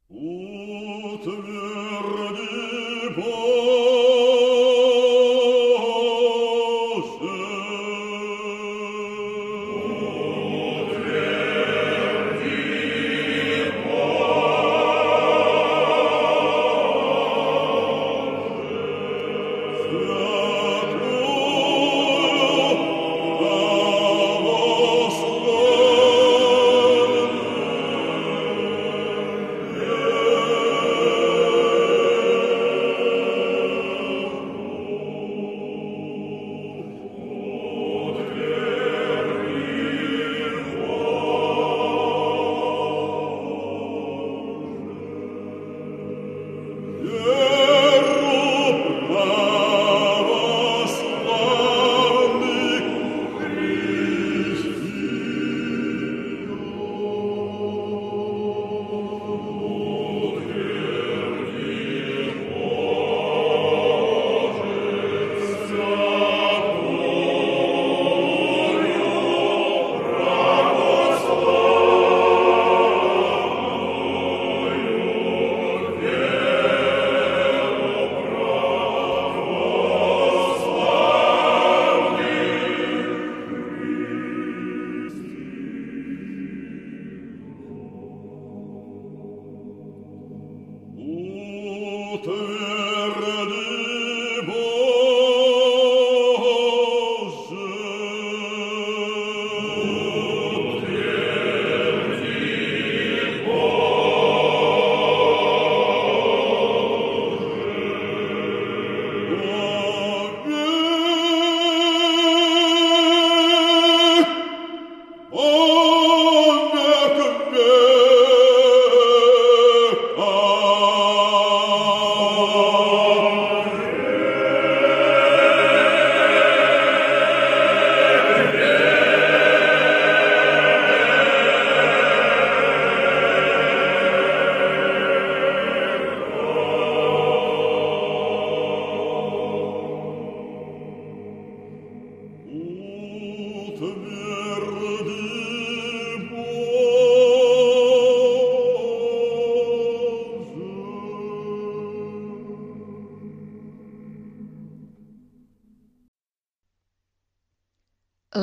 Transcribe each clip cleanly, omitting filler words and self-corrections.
Utvrdi Bože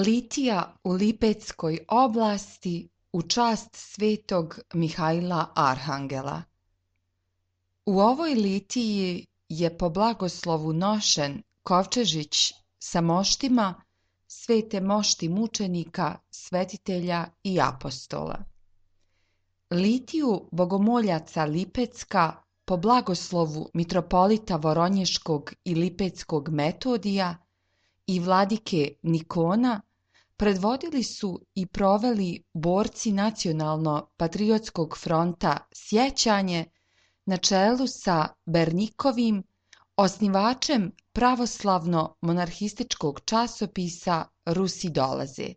Litija u Lipeckoj oblasti u čast svetog Mihajla Arhangela. U ovoj litiji je po blagoslovu nošen kovčežić sa moštima svete mošti mučenika, svetitelja i apostola. Litiju bogomoljaca Lipecka po blagoslovu mitropolita Voronješkog i Lipeckog Metodija i vladike Nikona predvodili su i proveli borci Nacionalno-patriotskog fronta Sjećanje na čelu sa Bernikovim, osnivačem pravoslavno-monarhističkog časopisa Rusi dolaze.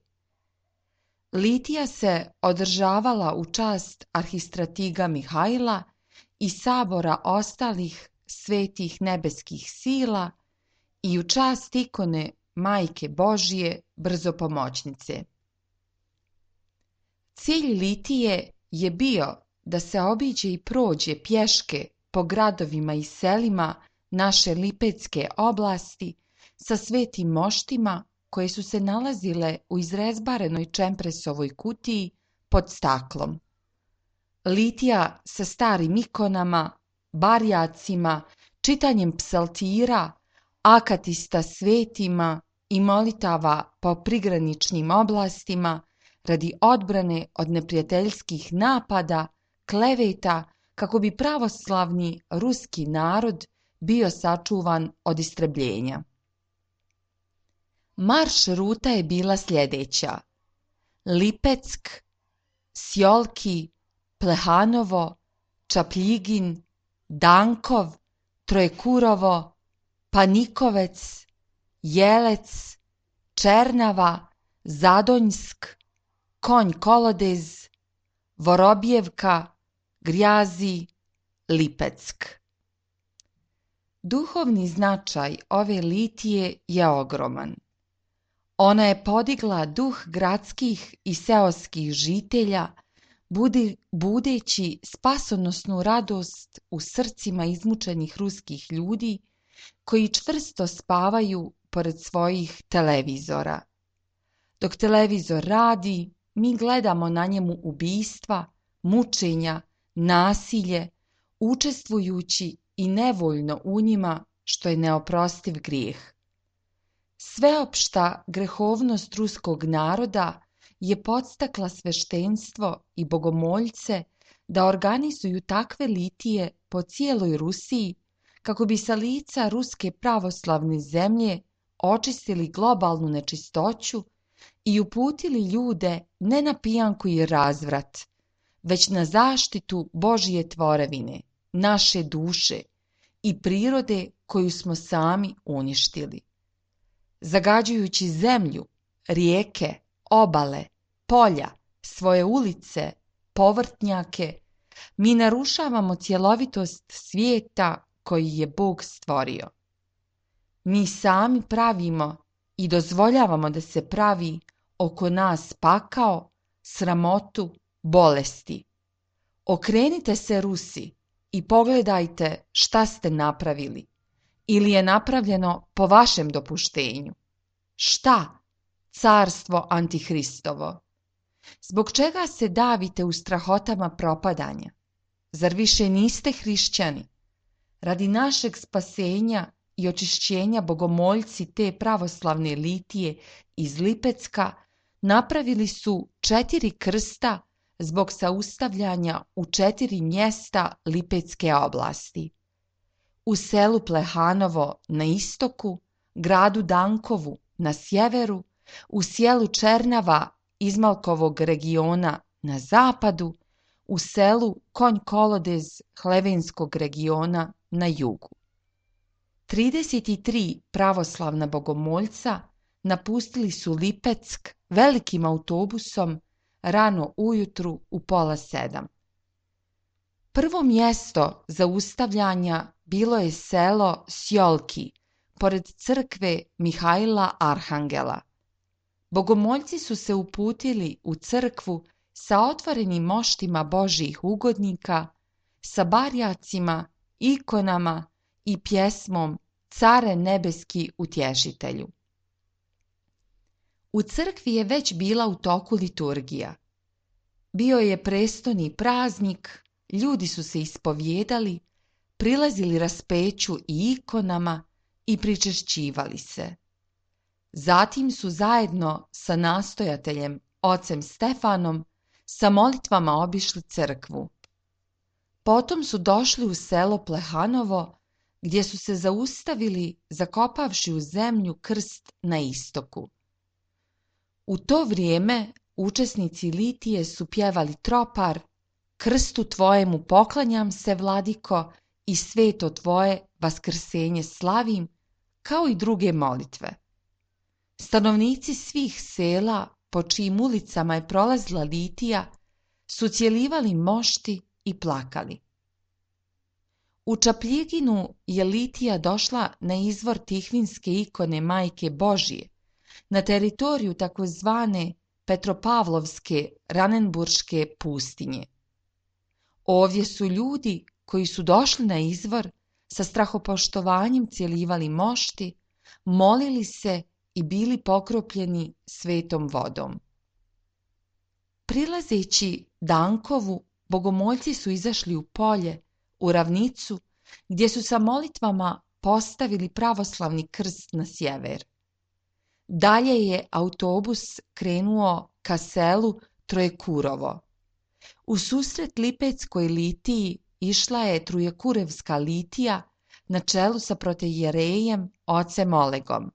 Litija se održavala u čast arhistratiga Mihajla i sabora ostalih svetih nebeskih sila i u čast ikone Majke Božje brzopomoćnice. Cilj litije je bio da se obiđe i prođe pješke po gradovima i selima naše Lipecke oblasti sa svetim moštima koje su se nalazile u izrezbarenoj čempresovoj kutiji pod staklom. Litija sa starim ikonama, barjacima, čitanjem psaltira, akatista svetima i molitava po prigraničnim oblastima radi odbrane od neprijateljskih napada, kleveta, kako bi pravoslavni ruski narod bio sačuvan od istrebljenja. Marš ruta je bila sljedeća: Lipeck, Sjolki, Plehanovo, Čapljigin, Dankov, Trojekurovo, Panikovec, Jelec, Černava, Zadonjsk, Konj Kolodez, Vorobjevka, Grjazi, Lipeck. Duhovni značaj ove litije je ogroman. Ona je podigla duh gradskih i seoskih žitelja, budeći spasonosnu radost u srcima izmučenih ruskih ljudi koji čvrsto spavaju pored svojih televizora. Dok televizor radi, mi gledamo na njemu ubistva, mučenja, nasilje, učestvujući i nevoljno u njima, što je neoprostiv grijeh. Sveopšta grehovnost ruskog naroda je podstakla sveštenstvo i bogomoljce da organizuju takve litije po cijeloj Rusiji kako bi sa lica ruske pravoslavne zemlje očistili globalnu nečistoću i uputili ljude ne na pijanku i razvrat, već na zaštitu Božje tvorevine, naše duše i prirode koju smo sami uništili. Zagađujući zemlju, rijeke, obale, polja, svoje ulice, povrtnjake, mi narušavamo cjelovitost svijeta koji je Bog stvorio. Mi sami pravimo i dozvoljavamo da se pravi oko nas pakao, sramotu, bolesti. Okrenite se Rusi i pogledajte šta ste napravili ili je napravljeno po vašem dopuštenju. Šta? Carstvo Antihristovo. Zbog čega se davite u strahotama propadanja? Zar više niste hrišćani? Radi našeg spasenja i očišćenja bogomoljci te pravoslavne litije iz Lipecka napravili su 4 krsta zbog saustavljanja u 4 mjesta Lipecke oblasti. U selu Plehanovo na istoku, gradu Dankovu na sjeveru, u sjelu Černava Izmalkovog regiona na zapadu, u selu Konj Kolodez Hlevenskog regiona na jugu. 33 pravoslavna bogomoljca napustili su Lipeck velikim autobusom rano ujutru u 6:30. Prvo mjesto zaustavljanja bilo je selo Sjolki, pored crkve Mihajla Arhangela. Bogomoljci su se uputili u crkvu sa otvorenim moštima Božjih ugodnika, sa barjacima, ikonama i pjesmom Care nebeski utješitelju. U crkvi je već bila u toku liturgija. Bio je prestoni praznik, ljudi su se ispovjedali, prilazili raspeću i ikonama i pričešćivali se. Zatim su zajedno sa nastojateljem, ocem Stefanom, sa molitvama obišli crkvu. Potom su došli u selo Plehanovo, gdje su se zaustavili zakopavši u zemlju krst na istoku. U to vrijeme učesnici litije su pjevali tropar Krstu tvojemu poklanjam se, vladiko, i sveto tvoje vaskrsenje slavim, kao i druge molitve. Stanovnici svih sela po čijim ulicama je prolazila litija su cjelivali mošti i plakali. U Čapljiginu je litija došla na izvor Tihvinske ikone Majke Božije, na teritoriju takozvane Petropavlovske Ranenburške pustinje. Ovdje su ljudi koji su došli na izvor sa strahopoštovanjem cjelivali mošti, molili se i bili pokropljeni svetom vodom. Prilazeći Dankovu, bogomoljci su izašli u polje, u ravnicu, gdje su sa molitvama postavili pravoslavni krst na sjever. Dalje je autobus krenuo ka selu Trojekurovo. U susret Lipeckoj litiji išla je Trojekurevska litija na čelu sa protoijerejem ocem Olegom.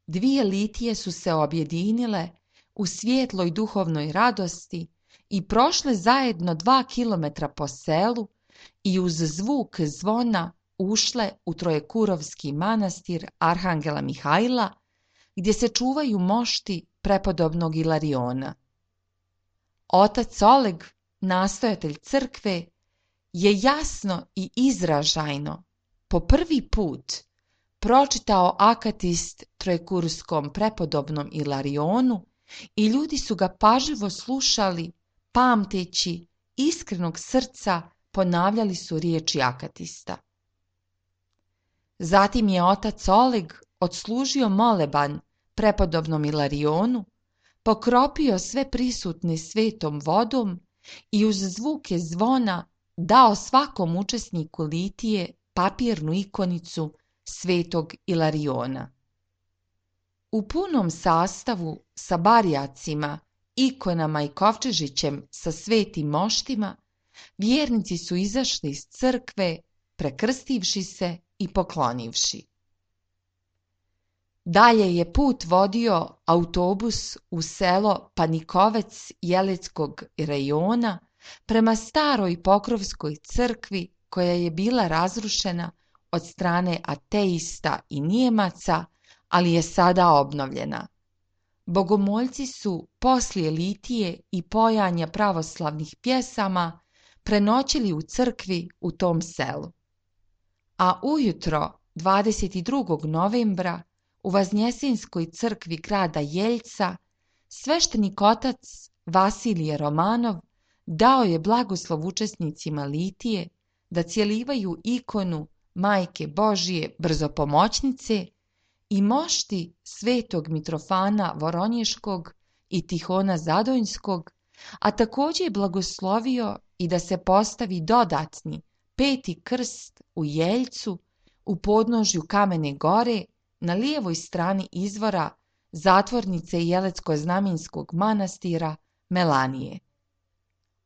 2 litije su se objedinile u svijetloj duhovnoj radosti i prošle zajedno 2 kilometra po selu i uz zvuk zvona ušle u Trojekurovski manastir Arhangela Mihajla, gdje se čuvaju mošti prepodobnog Ilariona. Otac Oleg, nastojatelj crkve, je jasno i izražajno po prvi put pročitao akatist Trojekurskom prepodobnom Ilarionu i ljudi su ga pažljivo slušali pamteći iskrenog srca ponavljali su riječi akatista. Zatim je otac Oleg odslužio moleban prepodobnom Ilarionu, pokropio sve prisutne svetom vodom i uz zvuke zvona dao svakom učesniku litije papirnu ikonicu svetog Ilariona. U punom sastavu sa barjacima, ikonama i kovčežićem sa svetim moštima, vjernici su izašli iz crkve, prekrstivši se i poklonivši. Dalje je put vodio autobus u selo Panikovec Jeleckog rejona prema staroj Pokrovskoj crkvi koja je bila razrušena od strane ateista i Nijemaca, ali je sada obnovljena. Bogomoljci su poslije litije i pojanja pravoslavnih pjesama prenoćili u crkvi u tom selu. A ujutro 22. novembra u Vaznjesinskoj crkvi grada Jeljca sveštenik otac Vasilije Romanov dao je blagoslov učesnicima litije da cjelivaju ikonu Majke Božije Brzopomoćnice i mošti svetog Mitrofana Voronješkog i Tihona Zadojnskog, a također je blagoslovio i da se postavi dodatni 5. krst u Jeljcu u podnožju Kamene gore na lijevoj strani izvora zatvornice Jelecko-Znamenskog manastira Melanije.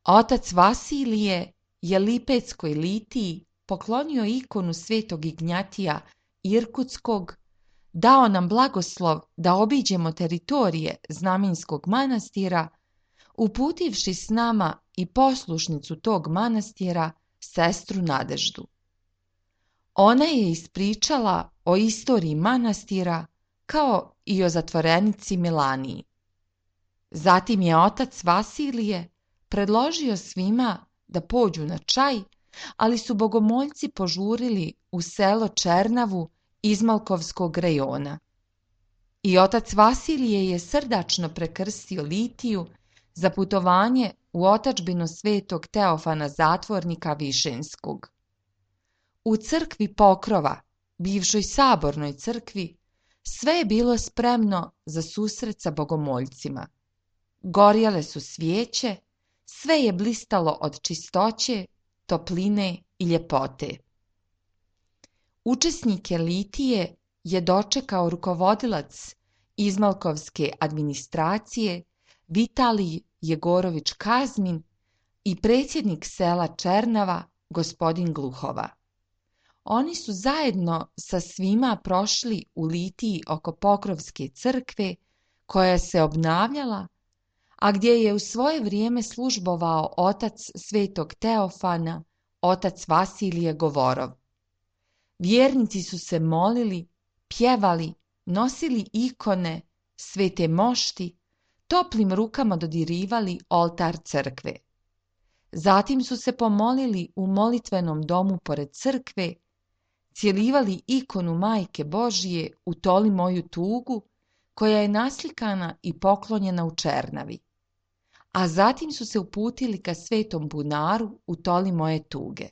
Otac Vasilije je Lipetskoj litiji poklonio ikonu svetog Ignjatija Irkutskog, dao nam blagoslov da obiđemo teritorije Znamenskog manastira, uputivši s nama i poslušnicu tog manastira, sestru Nadeždu. Ona je ispričala o istoriji manastira kao i o zatvorenici Melaniji. Zatim je otac Vasilije predložio svima da pođu na čaj, ali su bogomoljci požurili u selo Černavu Izmalkovskog rejona. I otac Vasilije je srdačno prekrstio litiju za putovanje u otadžbinu svetog Teofana Zatvornika Višenskog. U crkvi Pokrova, bivšoj sabornoj crkvi, sve je bilo spremno za susret sa bogomoljcima. Gorjele su svijeće, sve je blistalo od čistoće, topline i ljepote. Učesnike litije je dočekao rukovodilac Izmalkovske administracije Vitalij Jegorović Kazmin i predsjednik sela Černava gospodin Gluhova. Oni su zajedno sa svima prošli u litiji oko Pokrovske crkve koja se obnavljala, a gdje je u svoje vrijeme službovao otac svetog Teofana, otac Vasilije Govorov. Vjernici su se molili, pjevali, nosili ikone, svete mošti, toplim rukama dodirivali oltar crkve. Zatim su se pomolili u molitvenom domu pored crkve, cjelivali ikonu Majke Božije u Toli moju tugu, koja je naslikana i poklonjena u Černavi. A zatim su se uputili ka svetom bunaru u Toli moje tuge.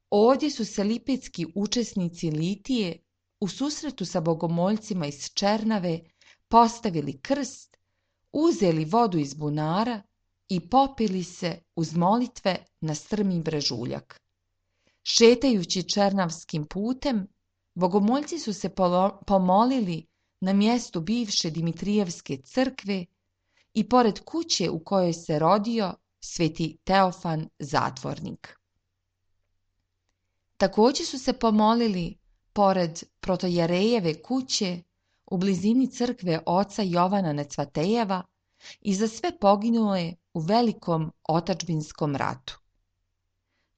Ovdje su se lipetski učesnici litije u susretu sa bogomoljcima iz Černave postavili krst, uzeli vodu iz bunara i popili se uz molitve na strmi brežuljak. Šetajući černavskim putem, bogomoljci su se pomolili na mjestu bivše Dimitrijevske crkve i pored kuće u kojoj se rodio sveti Teofan Zatvornik. Također su se pomolili pored protojerejeve kuće u blizini crkve oca Jovana Necvatejeva i za sve poginule u velikom otadžbinskom ratu.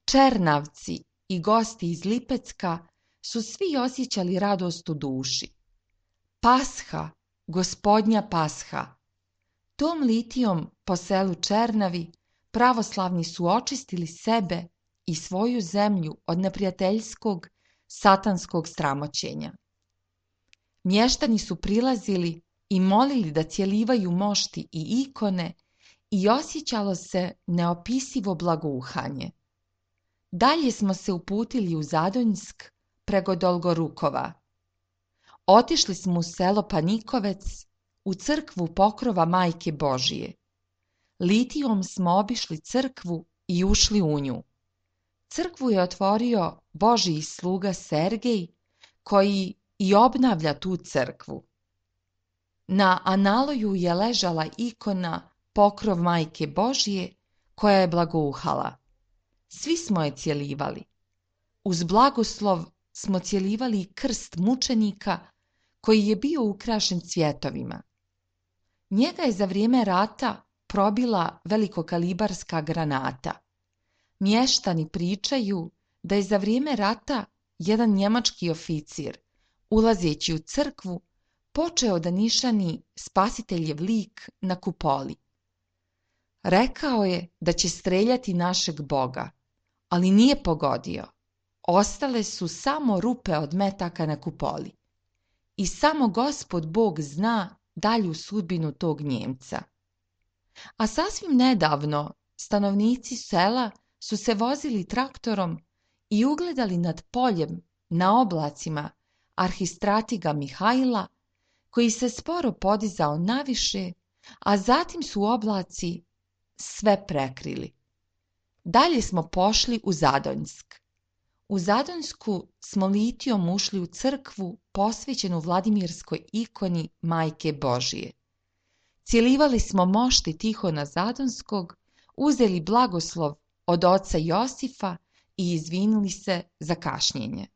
Černavci i gosti iz Lipecka su svi osjećali radost u duši. Pasha, gospodnja Pasha. Tom litijom po selu Černavi pravoslavni su očistili sebe i svoju zemlju od neprijateljskog satanskog sramoćenja. Mještani su prilazili i molili da cjelivaju mošti i ikone i osjećalo se neopisivo blagouhanje. Dalje smo se uputili u Zadonjsk preko Dolgorukova. Otišli smo u selo Panikovec, u crkvu Pokrova Majke Božije. Litijom smo obišli crkvu i ušli u nju. Crkvu je otvorio Božji sluga Sergej, koji i obnavlja tu crkvu. Na analoju je ležala ikona Pokrov Majke Božije, koja je blagouhala. Svi smo je cjelivali. Uz blagoslov smo cjelivali i krst mučenika, koji je bio ukrašen cvjetovima. Njega je za vrijeme rata probila velikokalibarska granata. Mještani pričaju da je za vrijeme rata jedan njemački oficir, ulazeći u crkvu, počeo da nišani spasiteljev lik na kupoli. Rekao je da će streljati našeg Boga, ali nije pogodio. Ostale su samo rupe od metaka na kupoli. I samo Gospod Bog zna dalju sudbinu tog Njemca. A sasvim nedavno stanovnici sela su se vozili traktorom i ugledali nad poljem na oblacima arhistratiga Mihajla, koji se sporo podizao naviše, a zatim su oblaci sve prekrili. Dalje smo pošli u Zadonjsk. U Zadonjsku smo litijom ušli u crkvu posvećenu Vladimirskoj ikoni Majke Božije. Cjelivali smo mošti Tihona Zadonskog, uzeli blagoslov od oca Josifa i izvinuli se za kašnjenje.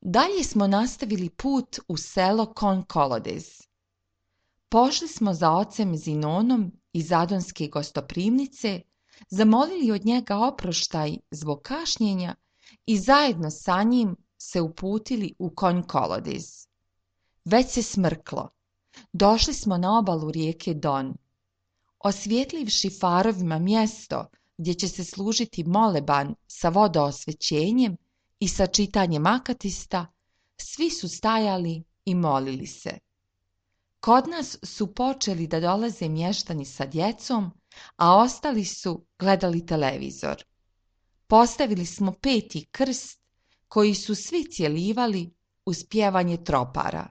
Dalje smo nastavili put u selo Konkolodez. Pošli smo za ocem Zinonom iz Zadonske gostoprimnice, zamolili od njega oproštaj zbog kašnjenja i zajedno sa njim se uputili u Konkolodez. Već se smrklo. Došli smo na obalu rijeke Don. Osvjetlivši farovima mjesto gdje će se služiti moleban sa vodoosvećenjem i sa čitanjem akatista, svi su stajali i molili se. Kod nas su počeli da dolaze mještani sa djecom, a ostali su gledali televizor. Postavili smo 5. krst, koji su svi cjelivali uz pjevanje tropara.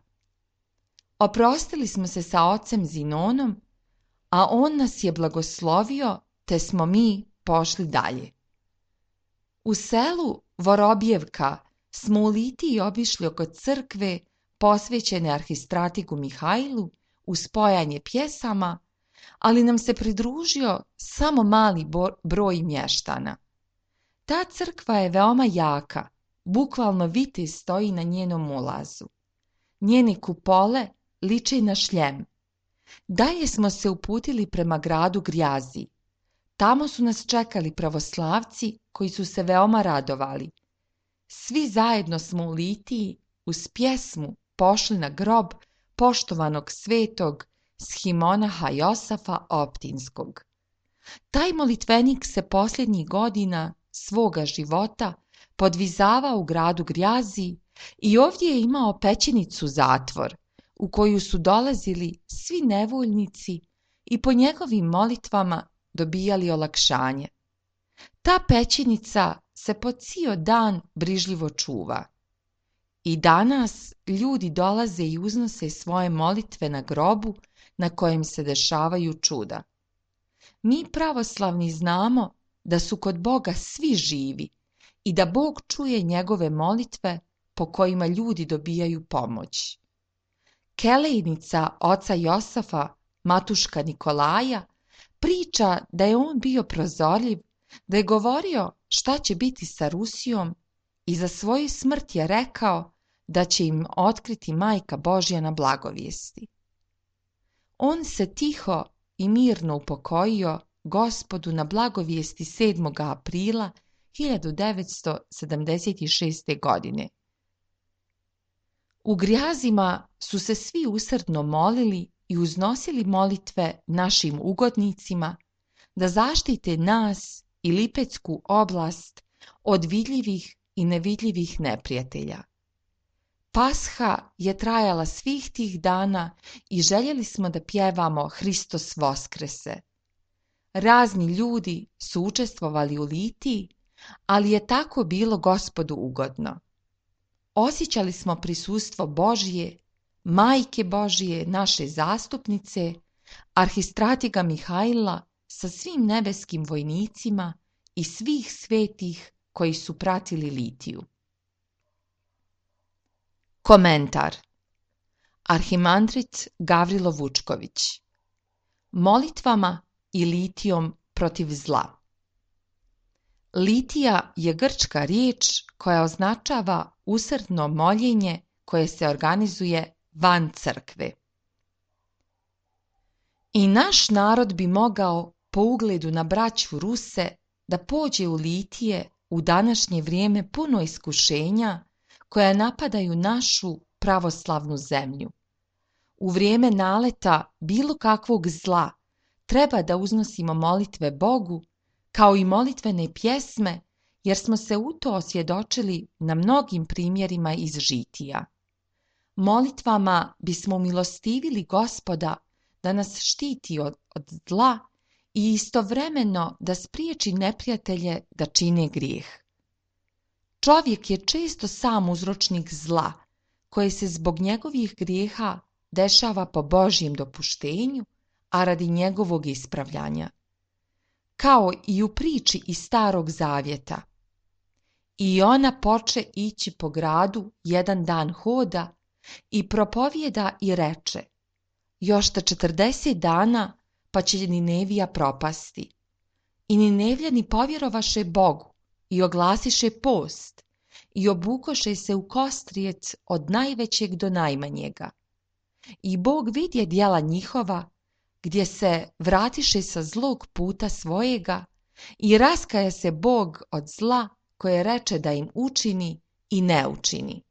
Oprostili smo se sa ocem Zinonom, a on nas je blagoslovio, te smo mi pošli dalje. U selu Vorobjevka smo u Litiji obišli oko crkve posvećene arhistratigu Mihajlu uz spojanje pjesama, ali nam se pridružio samo mali broj mještana. Ta crkva je veoma jaka, bukvalno vitez stoji na njenom ulazu. Njene kupole liče na šljem. Dalje smo se uputili prema gradu Grjazi. Tamo su nas čekali pravoslavci koji su se veoma radovali. Svi zajedno smo u Litiji uz pjesmu pošli na grob poštovanog svetog shimonaha Josafa Optinskog. Taj molitvenik se posljednjih godina svoga života podvizavao u gradu Grjazi i ovdje je imao pećinicu zatvor, u koju su dolazili svi nevoljnici i po njegovim molitvama dobijali olakšanje. Ta pećinica se po cijel dan brižljivo čuva. I danas ljudi dolaze i uznose svoje molitve na grobu na kojem se dešavaju čuda. Mi pravoslavni znamo da su kod Boga svi živi i da Bog čuje njegove molitve po kojima ljudi dobijaju pomoć. Kelejnica oca Josafa, matuška Nikolaja, priča da je on bio prozorljiv, da je govorio šta će biti sa Rusijom i za svoju smrt je rekao da će im otkriti Majka Božja na blagovijesti. On se tiho i mirno upokojio Gospodu na blagovijesti 7. aprila 1976. godine. U Grjazima su se svi usrdno molili i uznosili molitve našim ugodnicima da zaštite nas i Lipetsku oblast od vidljivih i nevidljivih neprijatelja. Pasha je trajala svih tih dana i željeli smo da pjevamo Hristos Voskrese. Razni ljudi su učestvovali u litiji, ali je tako bilo Gospodu ugodno. Osjećali smo prisustvo Božje, Majke Božje, naše zastupnice, arhistratiga Mihajla sa svim nebeskim vojnicima i svih svetih koji su pratili litiju. Komentar. Arhimandrit Gavrilo Vučković. Molitvama i litijom protiv zla. Litija je grčka riječ koja označava usrdno moljenje koje se organizuje van crkve. I naš narod bi mogao, po ugledu na braću Ruse, da pođe u litije u današnje vrijeme puno iskušenja koja napadaju našu pravoslavnu zemlju. U vrijeme naleta bilo kakvog zla treba da uznosimo molitve Bogu, kao i molitvene pjesme, jer smo se u to osvjedočili na mnogim primjerima iz žitija. Molitvama bismo umilostivili Gospoda da nas štiti od zla i istovremeno da spriječi neprijatelje da čine grijeh. Čovjek je često sam uzročnik zla, koje se zbog njegovih grijeha dešava po Božjem dopuštenju, a radi njegovog ispravljanja. Kao i u priči iz Starog Zavjeta. I ona poče ići po gradu jedan dan hoda i propovijeda i reče: još ta 40 dana pa će Ninevija propasti. I Ninevljani povjerovaše Bogu i oglasiše post i obukoše se u kostrijec od najvećeg do najmanjega. I Bog vidje djela njihova, gdje se vratiše sa zlog puta svojega i raskaja se Bog od zla koje reče da im učini i ne učini.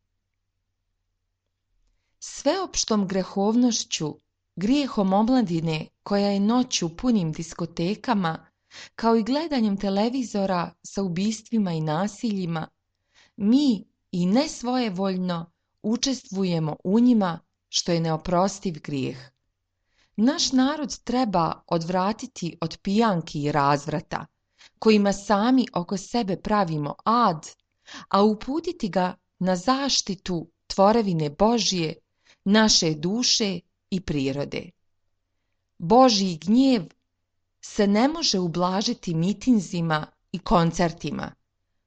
Sveopštom grehovnošću, grijehom omladine koja je noću u punim diskotekama, kao i gledanjem televizora sa ubistvima i nasiljima, mi i ne svojevoljno učestvujemo u njima, što je neoprostiv grijeh. Naš narod treba odvratiti od pijanki i razvrata, kojima sami oko sebe pravimo ad, a uputiti ga na zaštitu tvorevine Božje, naše duše i prirode. Božji gnjev se ne može ublažiti mitinzima i koncertima,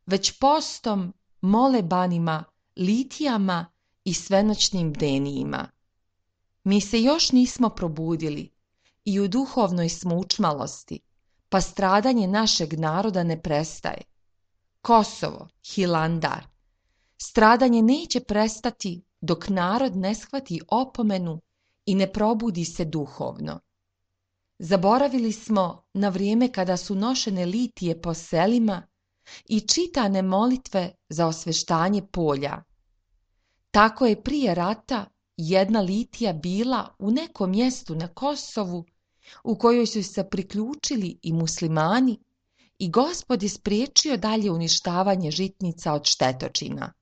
već postom, molebanima, litijama i svenoćnim bdenijima. Mi se još nismo probudili i u duhovnoj smo učmalosti, pa stradanje našeg naroda ne prestaje. Kosovo, Hilandar. Stradanje neće prestati dok narod ne shvati opomenu i ne probudi se duhovno. Zaboravili smo na vrijeme kada su nošene litije po selima i čitane molitve za osveštanje polja. Tako je prije rata jedna litija bila u nekom mjestu na Kosovu u kojoj su se priključili i muslimani i Gospod je spriječio dalje uništavanje žitnica od štetočina.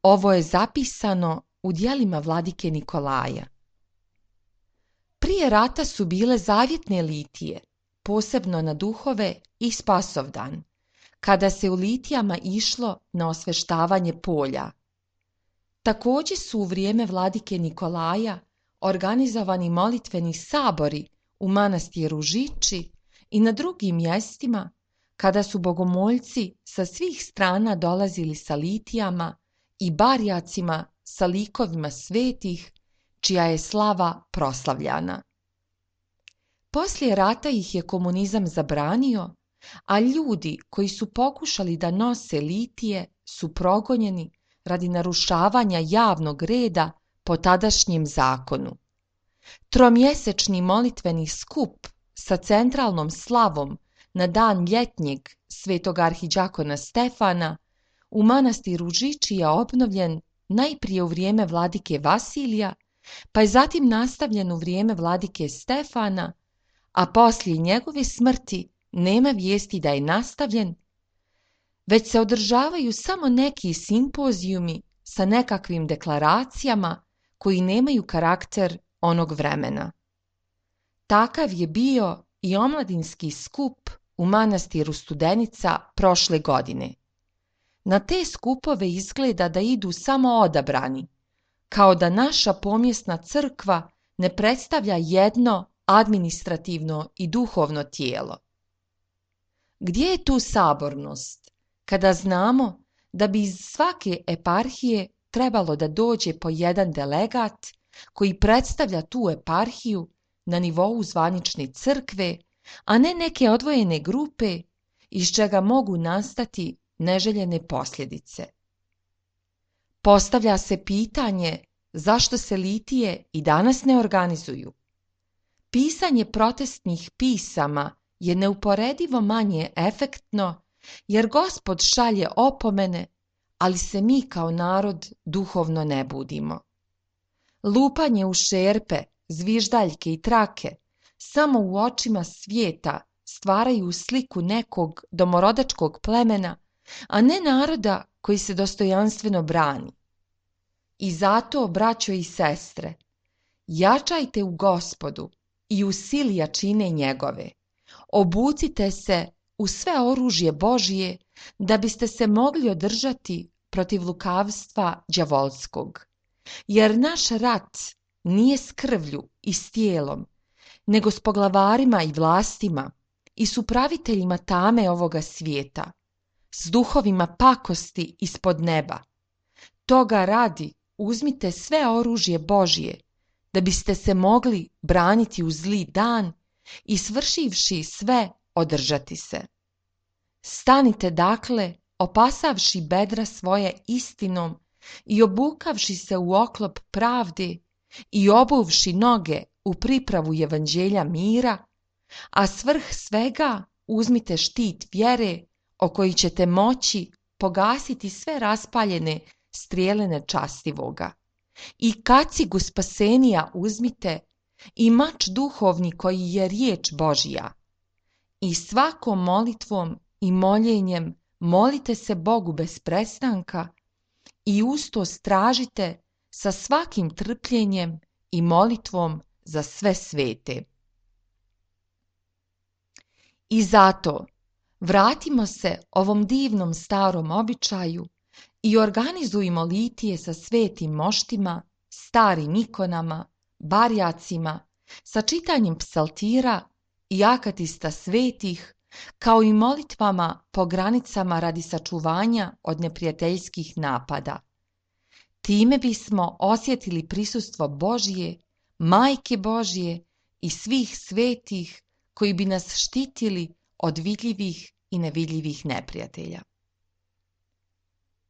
Ovo je zapisano u djelima vladike Nikolaja. Prije rata su bile zavjetne litije, posebno na duhove i Spasovdan, kada se u litijama išlo na osveštavanje polja. Također su u vrijeme vladike Nikolaja organizovani molitveni sabori u manastiru Žiči i na drugim mjestima, kada su bogomoljci sa svih strana dolazili sa litijama i barjacima sa likovima svetih, čija je slava proslavljana. Poslije rata ih je komunizam zabranio, a ljudi koji su pokušali da nose litije su progonjeni radi narušavanja javnog reda po tadašnjem zakonu. Tromjesečni molitveni skup sa centralnom slavom na dan ljetnjeg svetog arhidžakona Stefana u manastiru Žiči je obnovljen najprije u vrijeme vladike Vasilija, pa je zatim nastavljen u vrijeme vladike Stefana, a poslije njegove smrti nema vijesti da je nastavljen, već se održavaju samo neki simpozijumi sa nekakvim deklaracijama koji nemaju karakter onog vremena. Takav je bio i omladinski skup u manastiru Studenica prošle godine. Na te skupove izgleda da idu samo odabrani, kao da naša pomjesna crkva ne predstavlja jedno administrativno i duhovno tijelo. Gdje je tu sabornost, kada znamo da bi iz svake eparhije trebalo da dođe po jedan delegat koji predstavlja tu eparhiju na nivou zvanične crkve, a ne neke odvojene grupe iz čega mogu nastati neželjene posljedice. Postavlja se pitanje zašto se litije i danas ne organizuju. Pisanje protestnih pisama je neuporedivo manje efektno jer Gospod šalje opomene, ali se mi kao narod duhovno ne budimo. Lupanje u šerpe, zviždaljke i trake samo u očima svijeta stvaraju sliku nekog domorodačkog plemena, a ne naroda koji se dostojanstveno brani. I zato, braćo i sestre, jačajte u Gospodu i u sili jačine njegove. Obucite se u sve oružje Božije da biste se mogli održati protiv lukavstva đavolskog. Jer naš rat nije s krvlju i s tijelom, nego s poglavarima i vlastima i s upraviteljima tame ovoga svijeta, s duhovima pakosti ispod neba. Toga radi uzmite sve oružje Božje, da biste se mogli braniti u zli dan i svršivši sve održati se. Stanite dakle, opasavši bedra svoje istinom i obukavši se u oklop pravde i obuvši noge u pripravu evanđelja mira, a svrh svega uzmite štit vjere o koji ćete moći pogasiti sve raspaljene strijele nečastivoga. I kacigu spasenija uzmite i mač duhovni koji je riječ Božja. I svakom molitvom i moljenjem molite se Bogu bez prestanka i usto stražite sa svakim trpljenjem i molitvom za sve svete. I zato vratimo se ovom divnom starom običaju i organizujmo litije sa svetim moštima, starim ikonama, barjacima, sa čitanjem psaltira i akatista svetih, kao i molitvama po granicama radi sačuvanja od neprijateljskih napada. Time bismo osjetili prisustvo Božje, Majke Božje i svih svetih koji bi nas štitili od vidljivih i nevidljivih neprijatelja.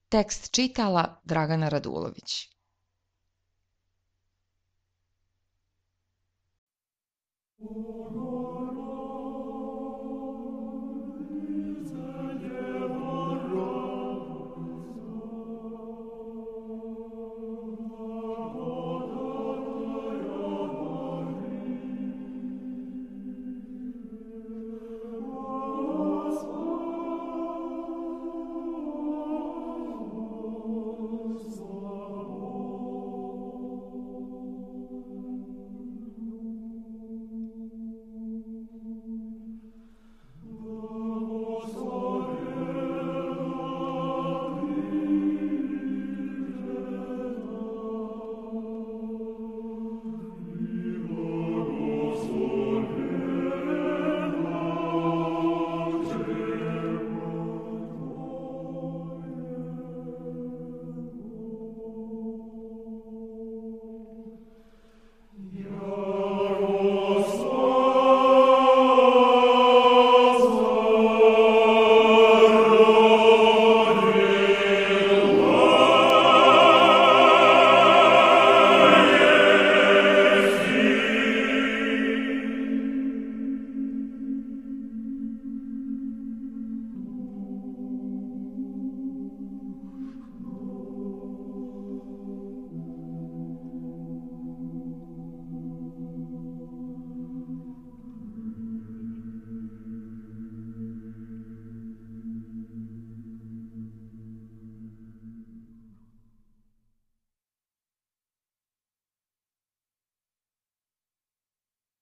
Tekst čitala Dragana Radulović.